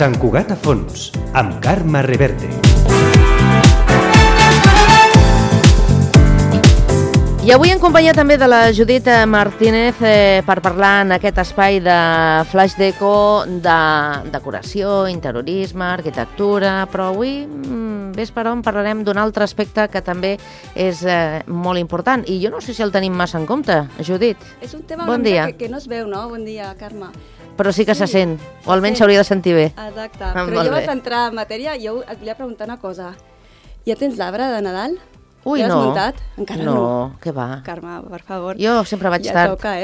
Sant Cugat a fons, amb Carme Reverte. I avui en companyia també de la Judit Martínez per parlar en aquest espai de Flash Deco de decoració, interiorisme, arquitectura, però avui, ves per on, parlarem d'un altre aspecte que també és molt important i jo no sé si el tenim massa en compte, Judit. És un tema bon dia. Que no es veu, no? Bon dia, Carme. Però sí que se sent, o almenys s'hauria de sentir bé. Exacte, però jo vaig entrar en matèria i jo et volia preguntar una cosa. Ja tens l'arbre de Nadal? Ui, ja no. l'has muntat? Encara no. No, què va? Carme, per favor. Jo sempre vaig ja tard. Toca,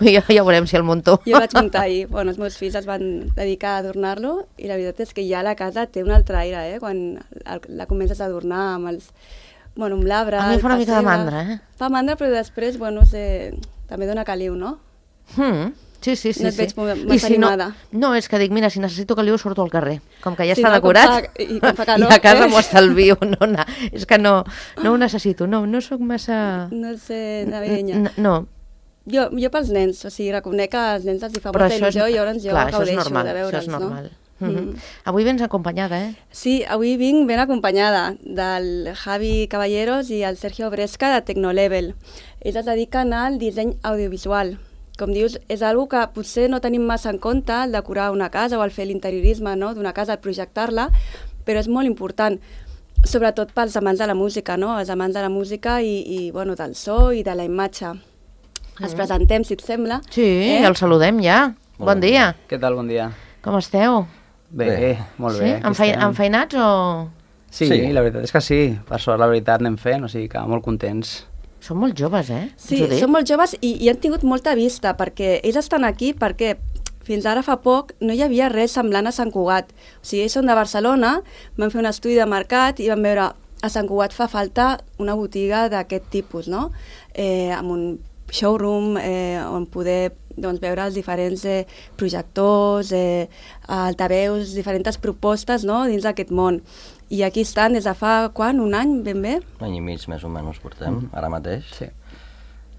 Ja veurem si el munto. Jo vaig muntar ahir. Bueno, els meus fills es van dedicar a adornar-lo i la veritat és que ja la casa té un altre aire, quan la comences a adornar amb els... Bueno, amb l'arbre... A mi fa una mica de mandra, Fa mandra, però després, bueno, també dona caliu, no? Sí. No et veig massa animada. No, és que dic, mira, si necessito caliu surto al carrer. Com que ja està decorat i com fa calor, i a casa m'ho estalvio. És que no ho necessito, no soc massa... No sé, navideña. No. Jo pels nens, o sigui, reconec que als nens els hi fa molta il·lusió i llavors jo gaudeixo de veure'ls, no? Avui vens acompanyada, Sí, avui vinc ben acompanyada del Javi Caballeros i el Sergio Bresca de Tecnolevel. Ells es dediquen al disseny audiovisual. Com dius, és una que potser no tenim massa en compte, el decorar una casa o el fer l'interiorisme d'una casa, el projectar-la, però és molt important, sobretot pels amants de la música, no? Els amants de la música i bueno, del so i de la imatge. Els presentem, si et sembla. Sí, el saludem ja. Bon dia. Què tal, bon dia? Com esteu? Bé, molt bé. Enfeinats o...? Sí, la veritat és que sí. Per sort, la veritat, anem fent, o sigui que molt contents. Són molt joves, Sí, són molt joves i han tingut molta vista, perquè ells estan aquí perquè fins ara fa poc no hi havia res semblant a Sant Cugat. O sigui, ells són de Barcelona, van fer un estudi de mercat i van veure a Sant Cugat fa falta una botiga d'aquest tipus, no? Amb un showroom on poder veure els diferents projectors, altaveus, diferents propostes dins d'aquest món. I aquí estan des de fa, quan? Un any, ben bé? Un any i mig, més o menys, portem, ara mateix. Sí.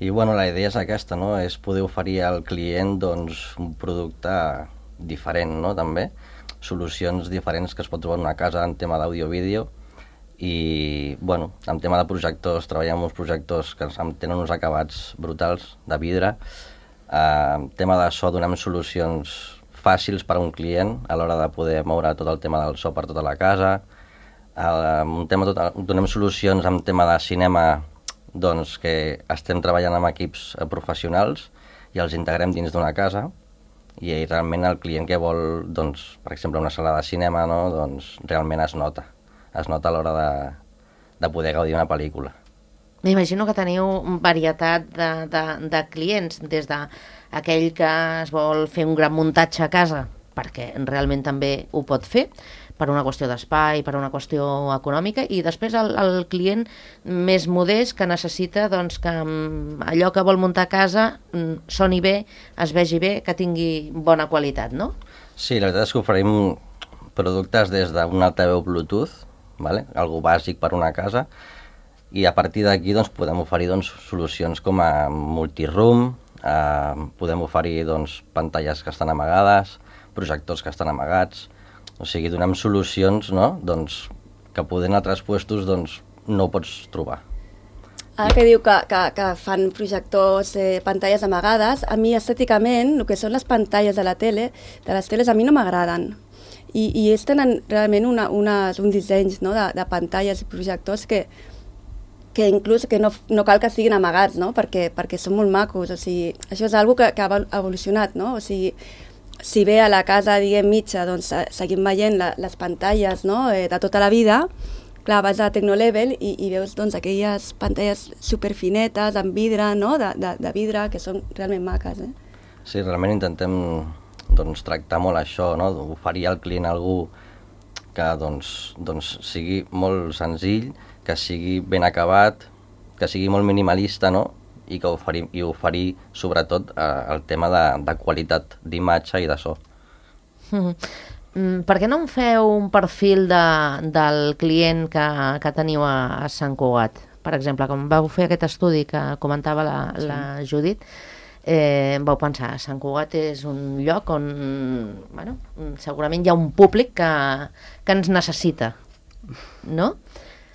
I, bueno, la idea és aquesta, no?, és poder oferir al client, doncs, un producte diferent, no?, també. Solucions diferents que es pot trobar en una casa en tema d'àudio-vídeo. I, bueno, en tema de projectors, treballem amb uns projectors que tenen uns acabats brutals, de vidre. En tema de so, donem solucions fàcils per a un client a l'hora de poder moure tot el tema del so per tota la casa. Donem solucions en tema de cinema, doncs, que estem treballant amb equips professionals i els integrem dins d'una casa i realment el client que vol, doncs, per exemple, una sala de cinema, no?, doncs, realment es nota a l'hora de poder gaudir una pel·lícula. M'imagino que teniu varietat de clients, des d'aquell que es vol fer un gran muntatge a casa, perquè realment també ho pot fer, per una qüestió d'espai, per una qüestió econòmica, i després el client més modest que necessita que allò que vol muntar a casa soni bé, es vegi bé, que tingui bona qualitat, no? Sí, la veritat és que oferim productes des d'un altaveu Bluetooth, algo bàsic per una casa, i a partir d'aquí podem oferir solucions com a multiroom, podem oferir pantalles que estan amagades, projectors que estan amagats. O sigui, donem solucions, no?, que poder en altres puestos no ho pots trobar. Ara que diu que fan projectors, pantalles amagades, a mi estèticament, el que són les pantalles de les teles, a mi no m'agraden. I ells tenen realment uns dissenys de pantalles i projectors que inclús no cal que siguin amagats, no?, perquè són molt macos. O sigui, això és una cosa que ha evolucionat, no? O sigui, si bé a la casa, mitja, seguim veient les pantalles de tota la vida, clar, vas a Tecnolevel i veus aquelles pantalles superfinetes, amb vidre, de vidre, que són realment maques. Sí, realment intentem tractar molt això, oferir al client algú que sigui molt senzill, que sigui ben acabat, que sigui molt minimalista, i oferir sobretot el tema de qualitat d'imatge i de so. Per què no em feu un perfil del client que teniu a Sant Cugat? Per exemple, com vau fer aquest estudi que comentava la Judit, vau pensar, Sant Cugat és un lloc on segurament hi ha un públic que ens necessita, no?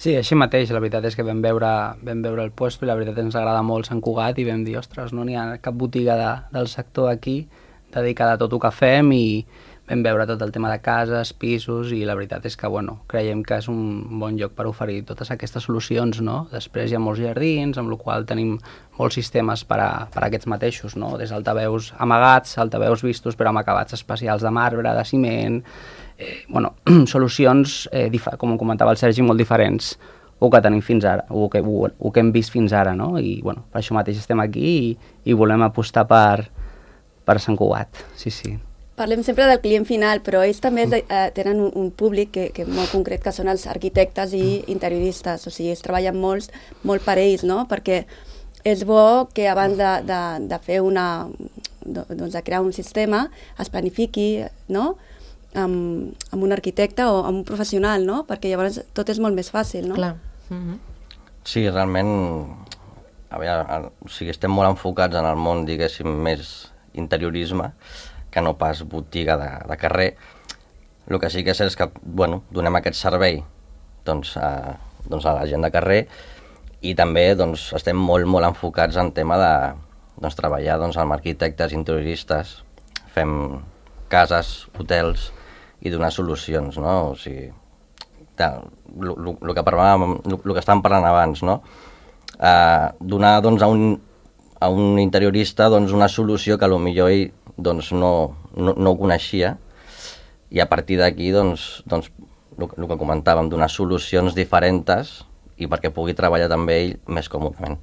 Sí, així mateix, la veritat és que vam veure el puesto i la veritat ens agrada molt Sant Cugat i vam dir, ostres, no n'hi ha cap botiga del sector aquí dedicada a tot el que fem i vam veure tot el tema de cases, pisos i la veritat és que, creiem que és un bon lloc per oferir totes aquestes solucions, no? Després hi ha molts jardins, amb la qual tenim molts sistemes per a aquests mateixos, no? Des d'altaveus amagats, altaveus vistos però amb acabats especials de marbre, de ciment, solucions, com comentava el Sergi, molt diferents o que tenim fins ara, o que hem vist fins ara, no? I per això mateix estem aquí i volem apostar per Sant Cugat, sí. Parlem sempre del client final, però ells també tenen un públic que molt concret, que són els arquitectes i interioristes, o sigui, ells treballen molt per ells, no? Perquè és bo que abans de fer de crear un sistema es planifiqui, no?, amb un arquitecte o amb un professional, no? Perquè llavors tot és molt més fàcil, no? Clar. Sí, realment, estem molt enfocats en el món, diguéssim, més interiorisme, que no pas botiga de carrer. El que sí que és que, donem aquest servei a la gent de carrer i també estem molt enfocats en tema de treballar amb arquitectes, interioristes, fem cases, hotels i donar solucions, no? O sigui, el que estàvem parlant abans, no? Donar a un interiorista una solució que potser ell no ho coneixia i a partir d'aquí el que comentàvem, donar solucions diferents i perquè pugui treballar també ell més còmodament.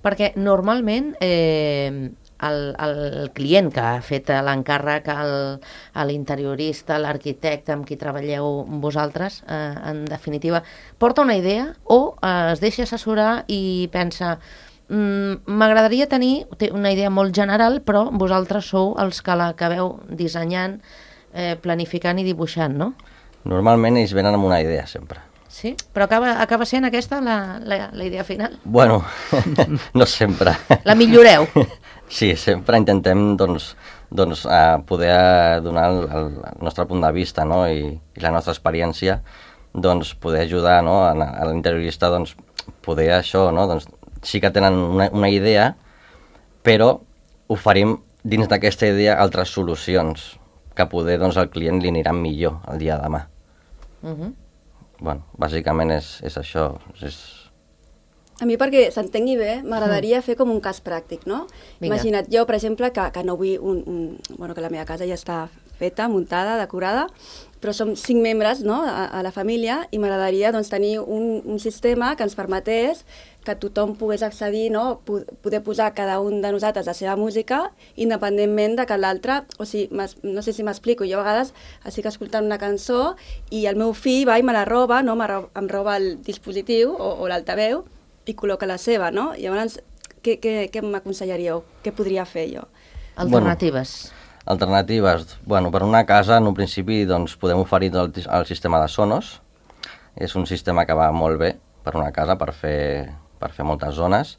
Perquè normalment el client que ha fet l'encàrrec a l'interiorista, l'arquitecte amb qui treballeu vosaltres, en definitiva, porta una idea o es deixa assessorar i pensa m'agradaria tenir una idea molt general, però vosaltres sou els que l'acabeu dissenyant, planificant i dibuixant, no? Normalment ells venen amb una idea, sempre. Sí? Però acaba sent aquesta la idea final? Bueno, no sempre. La milloreu? Sí, sempre intentem poder donar el nostre punt de vista, no? I la nostra experiència, poder ajudar, no? A l'interiorista, poder això, no? Sí que tenen una idea, però oferim dins d'aquesta idea altres solucions que poder al client li aniran millor el dia de demà. Bàsicament és això. A mi, perquè s'entengui bé, m'agradaria fer com un cas pràctic, no? Imagina't jo, per exemple, que no vull que la meva casa ja està feta, muntada, decorada, però som 5 membres, no?, a la família, i m'agradaria tenir un sistema que ens permetés que tothom pogués accedir, no?, poder posar cada un de nosaltres la seva música, independentment de que l'altre, o sigui, no sé si m'explico, jo a vegades estic escoltant una cançó i el meu fill va i me la roba, no?, em roba el dispositiu o l'altaveu i col·loca la seva, no? Llavors, què m'aconsellaríeu? Què podria fer jo? Alternatives. Alternatives. Per una casa, en un principi, podem oferir el sistema de Sonos. És un sistema que va molt bé per una casa, per fer moltes zones.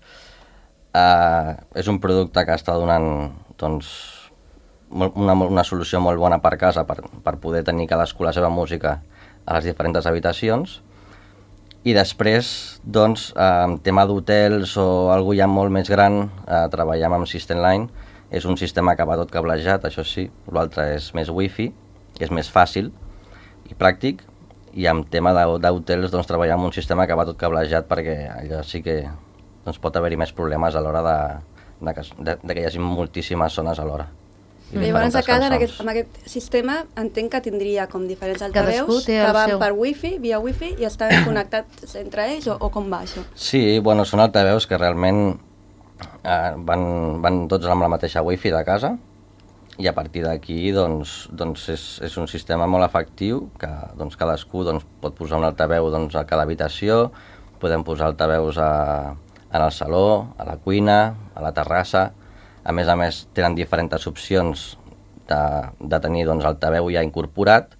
És un producte que està donant una solució molt bona per casa, per poder tenir cadascú la seva música a les diferents habitacions. I després, en tema d'hotels o alguna cosa ja molt més gran, treballem amb System Line. És un sistema que va tot cablejat, això sí, l'altre és més wifi, és més fàcil i pràctic, i en tema d'hotels treballem amb un sistema que va tot cablejat perquè allà sí que pot haver-hi més problemes a l'hora de que hi hagi moltíssimes zones alhora. Llavors a casa, amb aquest sistema, entenc que tindria com diferents altaveus que van per wifi, via wifi, i estan connectats entre ells, o com va això? Sí, són altaveus que realment van tots amb la mateixa wifi de casa i a partir d'aquí és un sistema molt efectiu que cadascú pot posar un altaveu a cada habitació, podem posar altaveus en el saló, a la cuina, a la terrassa. A més, tenen diferents opcions de tenir altaveu ja incorporat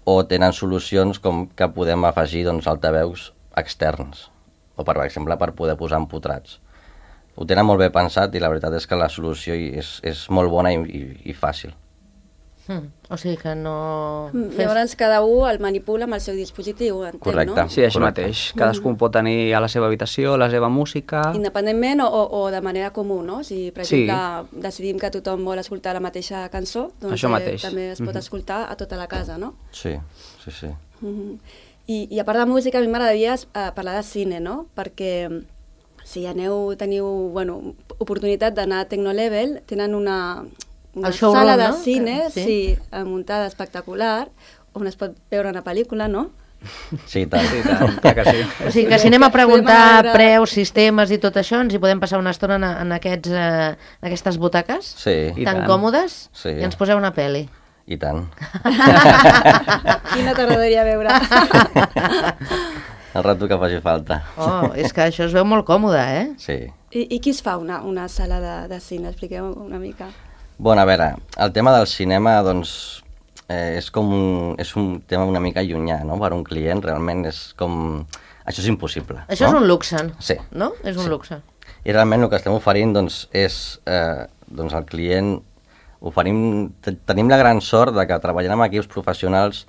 o tenen solucions com que podem afegir altaveus externs o, per exemple, per poder posar empotrats. ho tenen molt bé pensat i la veritat és que la solució és molt bona i fàcil. O sigui que no... Llavors cada un el manipula amb el seu dispositiu, entenc, Correcte. no? Sí, així mateix. Cadascun pot tenir a la seva habitació la seva música... Independentment o de manera comú, no? Si, per exemple, decidim que tothom vol escoltar la mateixa cançó, doncs també es pot escoltar a tota la casa, no? Sí. I a part de música, a mi m'agradaria parlar de cine, no? Perquè si teniu oportunitat d'anar a Tecnolevel, tenen una sala de cine muntada espectacular, on es pot veure una pel·lícula, no? Sí, tant. Que sí. O sigui que si anem a preguntar preus, sistemes i tot això, ens hi podem passar una estona en aquestes butaques? Sí. Tan còmodes? Sí. I ens poseu una pel·li. I tant. Quina t'agradaria veure? El rato que faci falta. És que això es veu molt còmode, eh? Sí. I qui es fa una sala de cine? Expliqueu una mica. Bueno, a veure, el tema del cinema, doncs, és un tema una mica llunyà, no? Per un client, realment és com... Això és impossible. Això és un luxe, sí. No? És un luxe. I realment el que estem oferint, doncs, és al client... Tenim la gran sort de que treballant amb equips professionals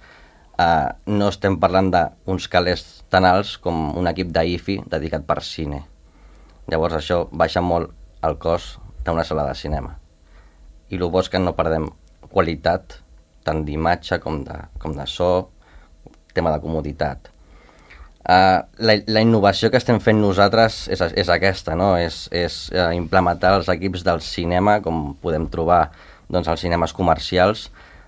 no estem parlant d'uns calés tan alts com un equip d'IFI dedicat per cine. Llavors això baixa molt el cost d'una sala de cinema. I el bo és que no perdem qualitat, tant d'imatge com de so, tema de comoditat. La innovació que estem fent nosaltres és aquesta, no? És implementar els equips del cinema, com podem trobar als cinemes comercials,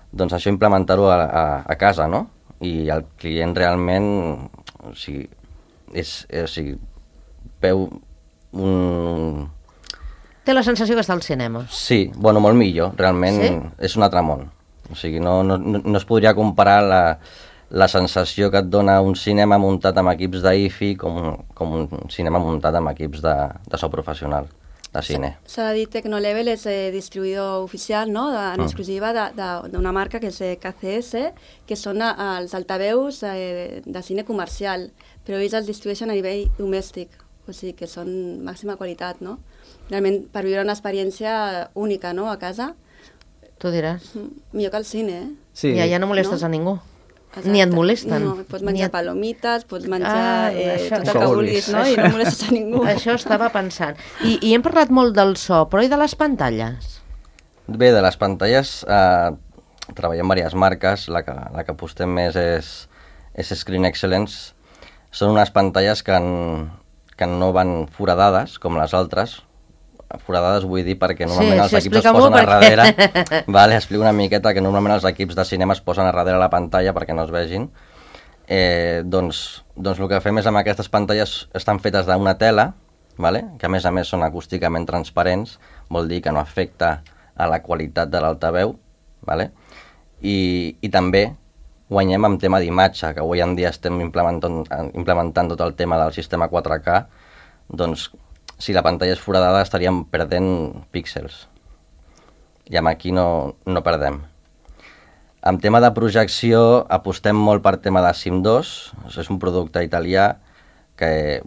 doncs això implementar-ho a casa, no? I el client realment, veu un... Té la sensació que està al cinema. Sí, molt millor, realment és un altre món. O sigui, no es podria comparar la sensació que et dona un cinema muntat amb equips d'IFI com un cinema muntat amb equips de so professional, de cine. S'ha de dir, Tecnolevel és distribuïdor oficial, no?, en exclusiva d'una marca que és KCS, que són els altaveus de cine comercial, però ells els distribueixen a nivell domèstic, o sigui que són màxima qualitat, no? Realment, per viure una experiència única, no?, a casa. Tu diràs. Millor que al cine, eh? Sí. I allà no molestes a ningú. Exacte. Ni et molesten. No, pots menjar palomites, pots menjar tot el que vulguis, no? I no molestes a ningú. Això estava pensant. I hem parlat molt del so, però i de les pantalles? Bé, de les pantalles treballem diverses marques. La que apostem més és Screen Excellence. Són unes pantalles que no van foradades, com les altres. Foradades vull dir perquè normalment els equips es posen a darrere. Vale, explico una miqueta que normalment els equips de cinema es posen a darrere la pantalla perquè no es vegin. Doncs el que fem és amb aquestes pantalles estan fetes d'una tela, vale? Que a més són acústicament transparents, vol dir que no afecta a la qualitat de l'altaveu, vale? I també guanyem amb tema d'imatge, que avui en dia estem implementant tot el tema del sistema 4K, doncs si la pantalla és foradada estaríem perdent píxels. I amb aquí no perdem. En tema de projecció apostem molt per tema de Sim2, és un producte italià que,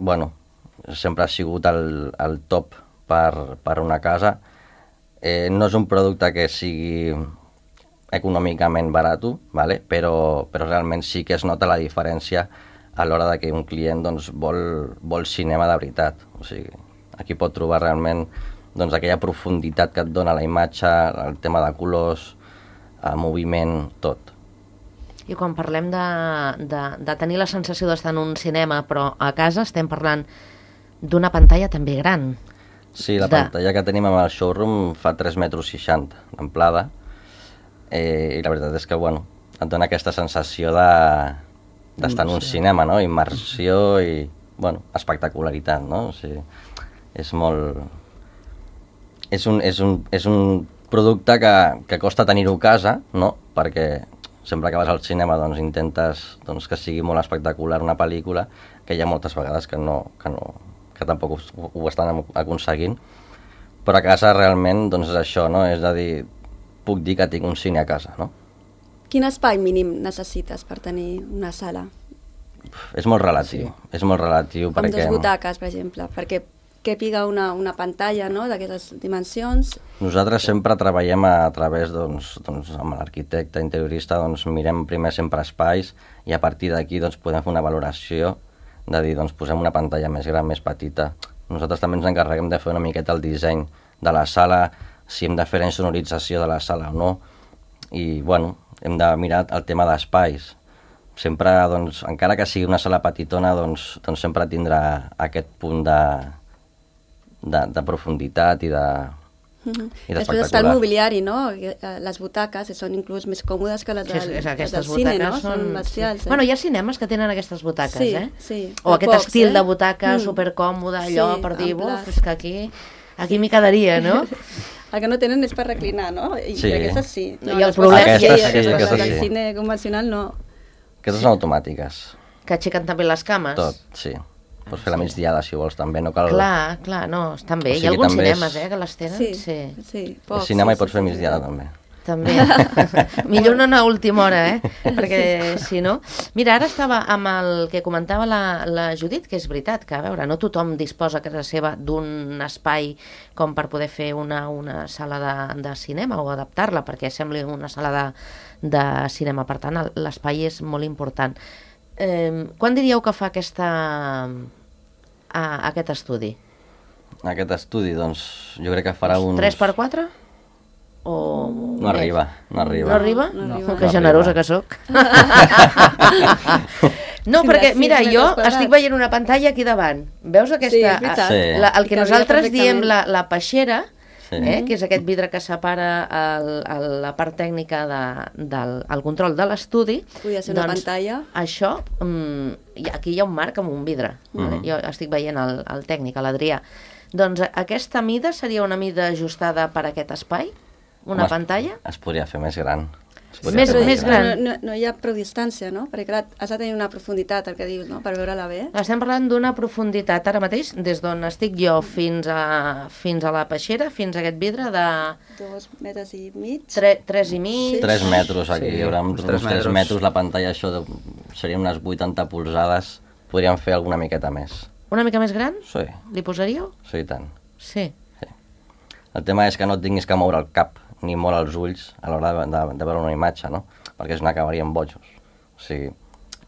sempre ha sigut el top per una casa. No és un producte que sigui econòmicament barat, ¿vale? Però realment sí que es nota la diferència a l'hora de que un client vol cinema de veritat. O sigui, aquí pot trobar realment aquella profunditat que et dona la imatge, el tema de colors, el moviment, tot. I quan parlem de tenir la sensació d'estar en un cinema, però a casa estem parlant d'una pantalla també gran. Sí, la pantalla que tenim amb el showroom fa 3,60 metres d'amplada, i la veritat és que, et dona aquesta sensació d'estar en un cinema, no? Immersió i, espectacularitat, no? O sigui, és molt... És un producte que costa tenir-ho a casa, no? Perquè sempre que vas al cinema intentes que sigui molt espectacular una pel·lícula, que hi ha moltes vegades que tampoc ho estan aconseguint, però a casa realment és això, no? És a dir, puc dir que tinc un cine a casa, no? Quin espai mínim necessites per tenir una sala? És molt relatiu, és molt relatiu perquè... Com 2 butaques, per exemple, perquè piga una pantalla, no?, d'aquestes dimensions. Nosaltres sempre treballem a través, amb l'arquitecte interiorista, mirem primer sempre espais i a partir d'aquí podem fer una valoració de dir, posem una pantalla més gran, més petita. Nosaltres també ens encarreguem de fer una miqueta el disseny de la sala, si hem de fer la insonorització de la sala o no, i, bueno, hem de mirar el tema d'espais. Sempre, encara que sigui una sala petitona, sempre tindrà aquest punt de profunditat i d'espectacular. Després està el mobiliari, no? Les butaques són inclús més còmodes que les del cine, no? Són bestials. Bueno, hi ha cinemes que tenen aquestes butaques, Sí. O aquest estil de butaca supercòmode, allò per dir, és que aquí m'hi quedaria, no? El que no tenen és per reclinar, no? I aquestes sí. I el problema és que el cine convencional no. Aquestes són automàtiques. Que aixequen també les cames? Tot, sí. Pots fer la migdiada, si vols, també. No cal... Clar, no, estan bé. Hi ha alguns cinemes, que les tenen. Sí. Al cinema hi pots fer migdiada, també. També. Millor no anar a última hora, perquè si no... Mira, ara estava amb el que comentava la Judit, que és veritat, que a veure, no tothom disposa a casa seva d'un espai com per poder fer una sala de cinema o adaptar-la perquè sembli una sala de cinema. Per tant, l'espai és molt important. Quan diríeu que fa aquest estudi? Aquest estudi, jo crec que farà uns... 3x4? O... No arriba. No arriba? No. Que generosa que sóc. No, perquè, mira, jo estic veient una pantalla aquí davant. Veus aquesta? Sí, el que nosaltres diem la peixera, que és aquest vidre que separa la part tècnica del control de l'estudi. Podria ser una pantalla. Això, aquí hi ha un marc amb un vidre. Jo estic veient el tècnic, l'Adrià. Doncs aquesta mida seria una mida ajustada per a aquest espai? Una pantalla? Es podria fer més gran. Més gran. No hi ha prou distància, no? Perquè clar, has de tenir una profunditat, el que dius, no?, per veure-la bé. Estem parlant d'una profunditat ara mateix, des d'on estic jo fins a la peixera, fins a aquest vidre de... 2 metres i mig. 3 i mig. 3 metres, aquí hi haurà uns 3 metres. La pantalla, això seria unes 80 polzades. Podríem fer alguna miqueta més. Una mica més gran? Sí. Li posaríeu? Sí, i tant. Sí. El tema és que no et tinguis que moure el cap ni molt els ulls a l'hora de veure una imatge, no? Perquè si no acabaríem bojos. O sigui,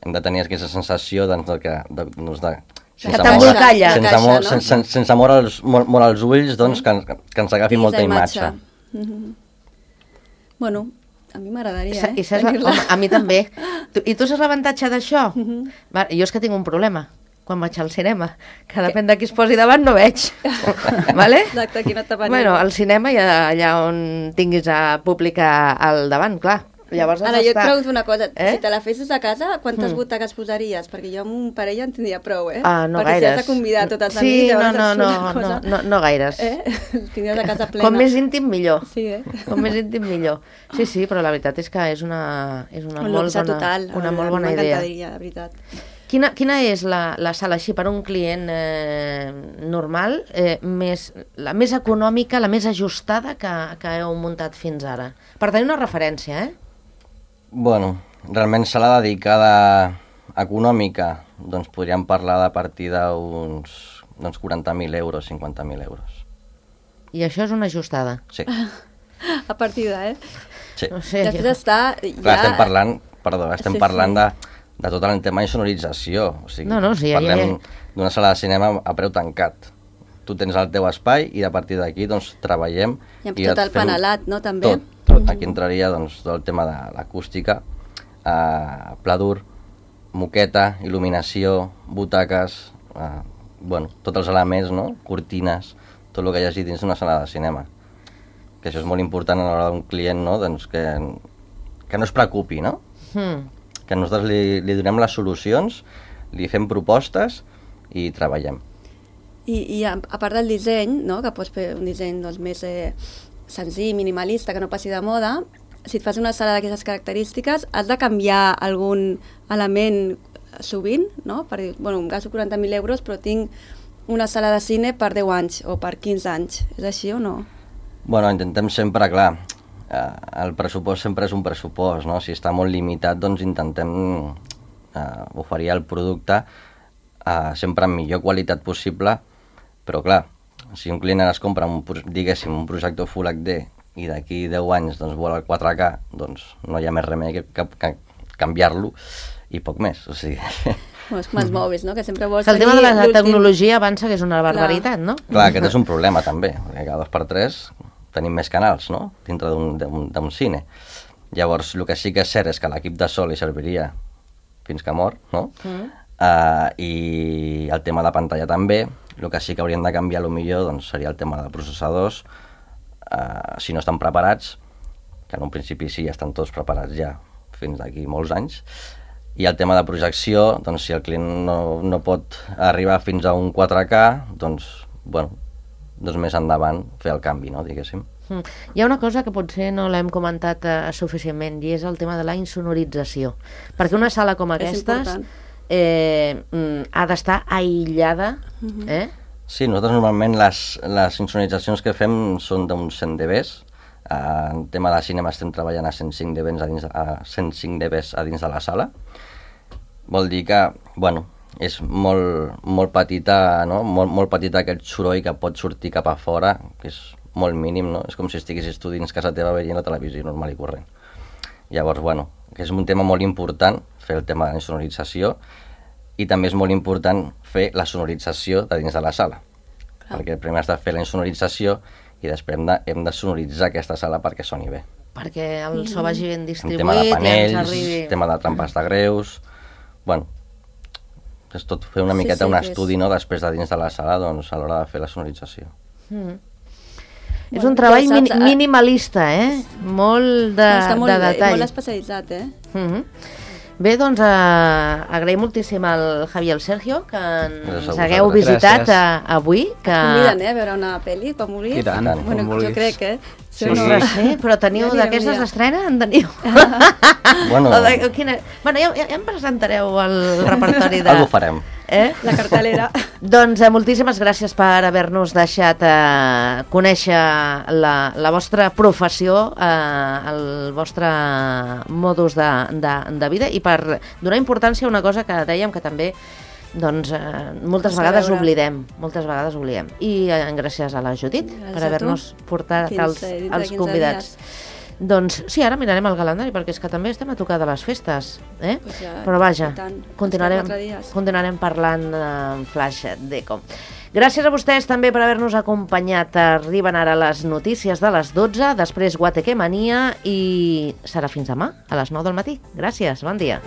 hem de tenir aquesta sensació que sense moure els ulls, que ens agafi molta imatge. Bueno, a mi m'agradaria, A mi també. I tu saps l'avantatge d'això? Jo és que tinc un problema quan vaig al cinema, que depèn de qui es posi davant no veig. Vale? Exacte, aquí no t'apanem. Bueno, al cinema hi ha allà on tinguis a públic al davant, clar. Llavors ara, jo et pregunto una cosa, si te la fessis a casa, quantes butaques posaries? Perquè jo amb un parell en tindria prou, no perquè gaires. Si has de convidar tots els amics... No gaires. Tindries a casa plena. Com més íntim, millor. Sí, Com més íntim, millor. Sí, però la veritat és que és una molt bona idea. M'encantaria, de veritat. Quina és la sala així per a un client normal, la més econòmica, la més ajustada que heu muntat fins ara? Per tenir una referència, Bueno, realment sala dedicada econòmica, doncs podríem parlar de partir d'uns 40.000 euros, 50.000 euros. I això és una ajustada? Sí. A partida, Sí. No sé, després està... Clar, estem parlant de tot el tema d'insonorització. O sigui, parlem d'una sala de cinema a preu tancat. Tu tens el teu espai i a partir d'aquí treballem... I amb tot el panelat, no, també? Tot. Aquí entraria tot el tema de l'acústica, pladur, moqueta, il·luminació, butaques, tots els elements, no? Cortines, tot el que hi hagi dins d'una sala de cinema. Que això és molt important a l'hora d'un client, no? Que no es preocupi, no? Que nosaltres li donem les solucions, li fem propostes i treballem. I a part del disseny, no? Que pots fer un disseny més senzill, minimalista, que no passi de moda, si et fas una sala d'aquestes característiques, has de canviar algun element sovint, no? Per dir, bueno, em gasto 40.000 euros, però tinc una sala de cine per 10 anys o per 15 anys. És així o no? Bueno, intentem sempre, clar, el pressupost sempre és un pressupost, no? Si està molt limitat, doncs intentem oferir el producte sempre amb millor qualitat possible, però clar, si un client ara es compra, diguéssim, un projector Full HD i d'aquí 10 anys doncs, vol el 4K, doncs no hi ha més remei que canviar-lo i poc més. O sigui... És com els mòbils, no? Que sempre vols el tema de la tecnologia avança, que és una barbaritat, no? Clar, aquest és un problema també, perquè cada 2x3 tenim més canals, no?, dintre d'un cine. Llavors, el que sí que és cert és que l'equip de so li serviria fins que mor, no? I el tema de pantalla també. El que sí que haurien de canviar millor doncs, seria el tema de processadors, si no estan preparats, que en un principi sí, estan tots preparats ja fins d'aquí molts anys. I el tema de projecció, doncs si el client no pot arribar fins a un 4K, doncs, bueno, doncs més endavant fer el canvi, no, diguéssim. Hi ha una cosa que potser no l'hem comentat suficientment, i és el tema de la insonorització. Perquè una sala com aquestes ha d'estar aïllada. Sí, nosaltres normalment les insonoritzacions que fem són d'uns 100 dBs. En tema de cinema estem treballant a 105 dBs a dins de la sala. Vol dir que, bueno, és molt petita, no? Molt petita aquest soroll que pot sortir cap a fora, que és molt mínim, no? És com si estiguessis tu dins casa teva veient la televisió normal i corrent. Llavors, bueno, que és un tema molt important, fer el tema de la sonorització, i també és molt important fer la sonorització de dins de la sala. Perquè primer has de fer la insonorització i després hem de sonoritzar aquesta sala perquè soni bé. Perquè el so vagi ben distribuït, tema de panells, i ens arribi... tema de trampes de greus... Bueno, és tot fer una miqueta un estudi, no?, després de dins de la sala, doncs, a l'hora de fer la sonorització. És un treball minimalista, molt de detall. Molt especialitzat, Bé, doncs agraïm moltíssim al Javi i al Sergio que ens hagueu visitat avui. Conviden, a veure una pel·li, quan vulguis. I tant, bueno, com vulguis. Jo crec, Sí, però teniu d'aquestes d'estrena? En teniu? Bueno, ja em presentareu el repertori de... Algo farem. La cartelera. Doncs moltíssimes gràcies per haver-nos deixat conèixer la vostra professió, el vostre modus de vida, i per donar importància a una cosa que dèiem que també moltes vegades oblidem. I gràcies a la Judit per haver-nos portat els convidats. Doncs sí, ara mirarem el calendari, perquè és que també estem a tocar de les festes, però vaja, continuarem parlant en Flash Deco. Gràcies a vostès també per haver-nos acompanyat. Arriben ara les notícies de les 12, després Guateque Mania, i serà fins demà a les 9 del matí. Gràcies, bon dia.